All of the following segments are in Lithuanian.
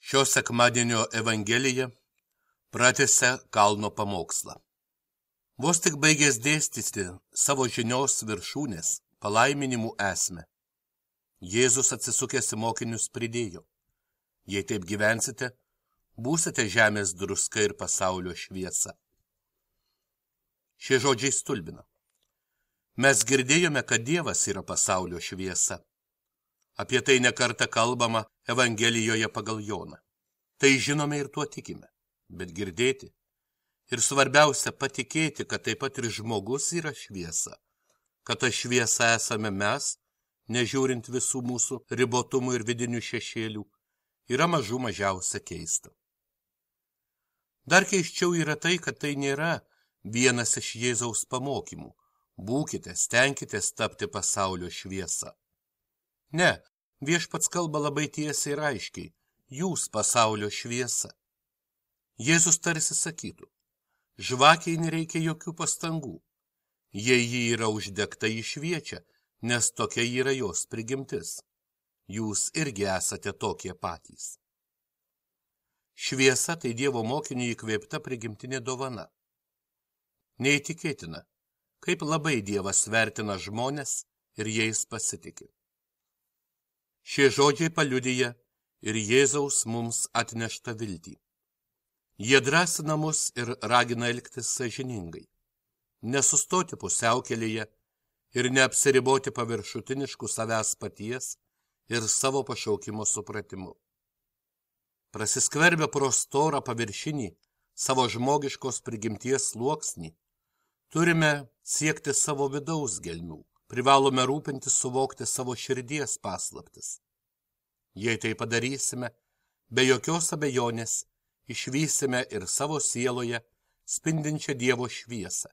Šio sekmadienio Evangelija pratęsia kalno pamokslą. Vos tik baigęs dėstyti savo žinios viršūnės palaiminimų esmę, Jėzus atsisukęs į mokinius pridėjo: jei taip gyvensite, būsite žemės druska ir pasaulio šviesa. Šie žodžiai stulbina. Mes girdėjome, kad Dievas yra pasaulio šviesa. Apie tai nekartą kalbama Evangelijoje pagal Joną. Tai žinome ir tuo tikime, bet girdėti ir svarbiausia patikėti, kad taip pat ir žmogus yra šviesa, kad ta šviesa esame mes, nežiūrint visų mūsų ribotumų ir vidinių šešėlių, yra mažų mažiausia keista. Dar keisčiau yra tai, kad tai nėra vienas iš Jėzaus pamokymų: būkite, stenkitės tapti pasaulio šviesa. Ne, Viešpats kalba labai tiesiai ir aiškiai: jūs pasaulio šviesa. Jėzus tarsi sakytų: žvakiai nereikia jokių pastangų. Jei ji yra uždegta, ji šviečia, nes tokia yra jos prigimtis. Jūs irgi esate tokie patys. Šviesa tai Dievo mokiniui įkvėpta prigimtinė dovana. Neįtikėtina, kaip labai Dievas vertina žmones ir jais pasitiki. Šie žodžiai paliudija ir Jėzaus mums atneštą viltį. Jie drąsina mus ir ragina elgtis sąžiningai, nesustoti pusiaukelėje ir neapsiriboti paviršutinišku savęs paties ir savo pašaukimo supratimu. Prasiskverbę pro storą paviršinį savo žmogiškos prigimties sluoksnį, turime siekti savo vidaus gelmių, privalome rūpintis suvokti savo širdies paslaptis. Jei tai padarysime, be jokios abejonės išvysime ir savo sieloje spindinčią Dievo šviesą.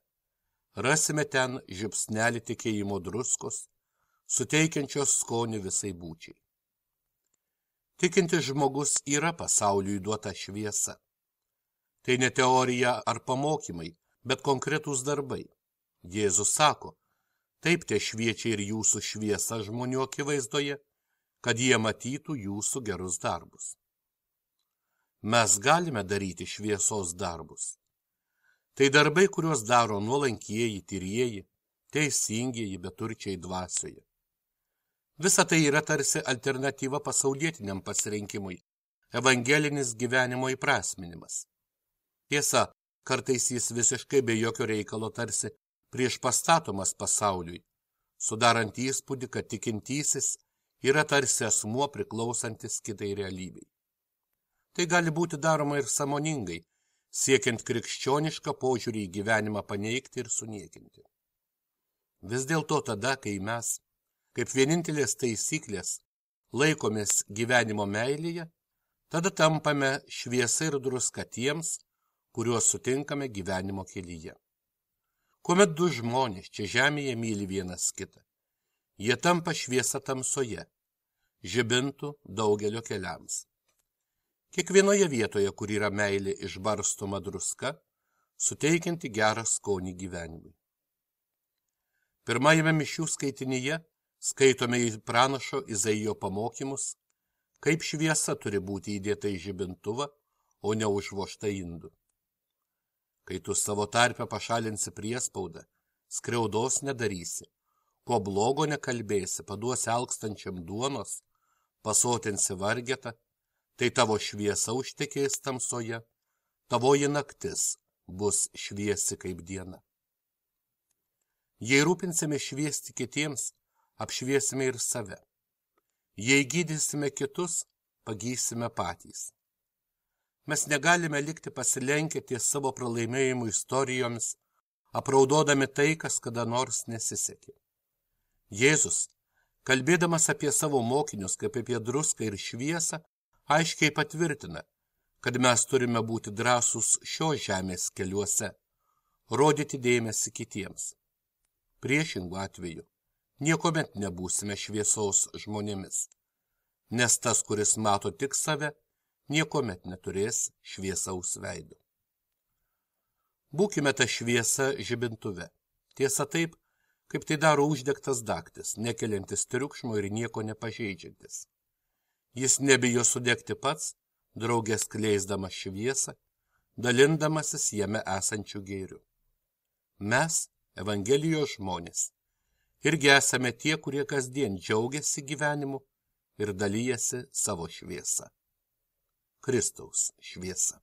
Rasime ten žiupsnelį tikėjimo druskos, suteikiančios skonį visai būčiai. Tikintis žmogus yra pasauliui duota šviesa. Tai ne teorija ar pamokymai, bet konkretūs darbai. Jėzus sako: taip te šviečia ir jūsų šviesa žmonių akivaizdoje, kad jie matytų jūsų gerus darbus. Mes galime daryti šviesos darbus. Tai darbai, kuriuos daro nuolankieji, tyrieji, teisingieji, beturčiai dvasioje. Visa tai yra tarsi alternatyva pasaulietiniam pasirinkimui, evangelinis gyvenimo įprasminimas. Tiesa, kartais jis visiškai be jokio reikalo tarsi priešpastatomas pasauliui, sudarant įspūdį, kad tikintysis yra tarsi asmuo priklausantis kitai realybei. Tai gali būti daroma ir sąmoningai, siekiant krikščionišką požiūrį į gyvenimą paneigti ir suniekinti. Vis dėlto tada, kai mes, kaip vienintelės taisyklės, laikomės gyvenimo meilėje, tada tampame šviesa ir druska tiems, kuriuos sutinkame gyvenimo kelyje. Kuomet du žmonės čia žemėje myli vienas kitą, jie tampa šviesa tamsoje, žibintų daugelio keliams. Kiekvienoje vietoje, kur yra meilė išbarstoma druska, suteikianti gerą skonį gyvenimui. Pirmajame mišių skaitinyje skaitome į pranašo Izaijo pamokymus, kaip šviesa turi būti įdėta į žibintuvą, o ne užvožta indu. Kai tu savo tarpe pašalinsi priespaudą, skriaudos nedarysi, ko blogo nekalbėsi, paduosi alkstančiam duonos, pasotinsi vargetą, tai tavo šviesa užtekės tamsoje, tavoji naktis bus šviesi kaip diena. Jei rūpinsime šviesti kitiems, apšviesime ir save. Jei gydysime kitus, pagysime patys. Mes negalime likti pasilenkę ties savo pralaimėjimų istorijomis, apraudodami tai, kas kada nors nesisekė. Jėzus, kalbėdamas apie savo mokinius kaip apie druską ir šviesą, aiškiai patvirtina, kad mes turime būti drąsūs šios žemės keliuose, rodyti dėmesį kitiems. Priešingų atveju niekuomet nebūsime šviesos žmonėmis, nes tas, kuris mato tik save, niekuomet neturės šviesaus veido. Būkime ta šviesa žibintuve. Tiesa taip, kaip tai daro uždegtas dagtis, nekeliantis triukšmo ir nieko nepažeidžiantis. Jis nebijo sudegti pats, draugės skleisdamas šviesą, dalindamasis jame esančių gėrių. Mes, Evangelijos žmonės, irgi esame tie, kurie kasdien džiaugiasi gyvenimu ir dalyjasi savo šviesą. Kristaus šviesa.